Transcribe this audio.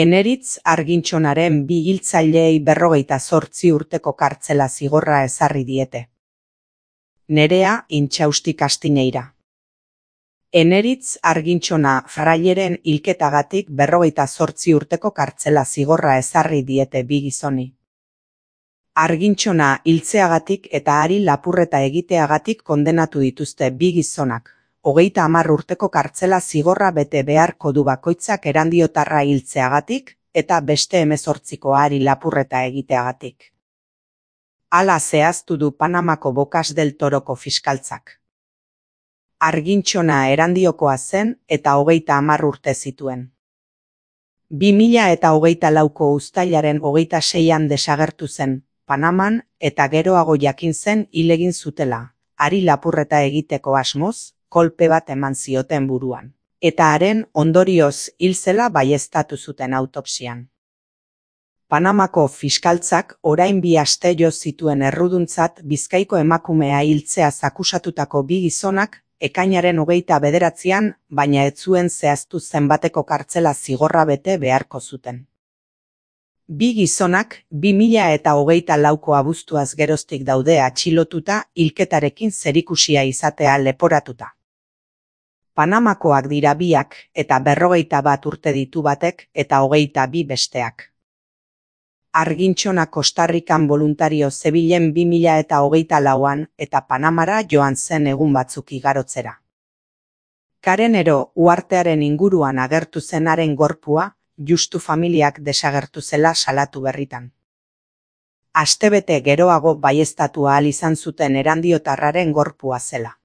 Eneritz Argintxonaren bi hiltzaileei 58 urteko kartzela zigorra ezarri diete. Nerea Intxausti Kastineira. Eneritz Argintxona fraileren hilketagatik 58 urteko kartzela zigorra ezarri diete bi gizoni. Argintxona hiltzeagatik eta hari lapurreta egiteagatik kondenatu dituzte bi gizonak. 30 urteko kartzela zigorra bete beharko du bakoitzak Erandiotarra hiltzeagatik eta beste 18ko hari lapurreta egiteagatik. Hala zehaztu du Panamako Bocas del Toroko fiskaltzak. Argintxona Erandiokoa zen eta 30 urte zituen. 2024ko uztailaren 26an desagertu zen Panaman eta geroago jakin zen hil egin zutela, hari lapurreta egiteko asmoz, kolpe bat eman zioten buruan, eta haren ondorioz hil zela baieztatu zuten autopsian. Panamako fiskaltzak orain 2 aste jo zituen erruduntzat Bizkaiko emakumea hiltzeaz akusatutako bi gizonak ekainaren 29an, baina ez zuen zehaztu zenbateko kartzela zigorra bete beharko zuten. Bi gizonak 2024ko abuztuaz geroztik daude atxilotuta hilketarekin zerikusia izatea leporatuta. Panamakoak dira biak eta 51 urte ditu batek eta 22 besteak. Argintxona Kostarrikan boluntario zebilen 2024an eta Panamara joan zen egun batzuk igarotzera. Karenero uhartearen inguruan agertu zenaren gorpua, justu familiak desagertu zela salatu berritan. Astebete geroago baieztatu ahal izan zuten Erandiotarraren gorpua zela.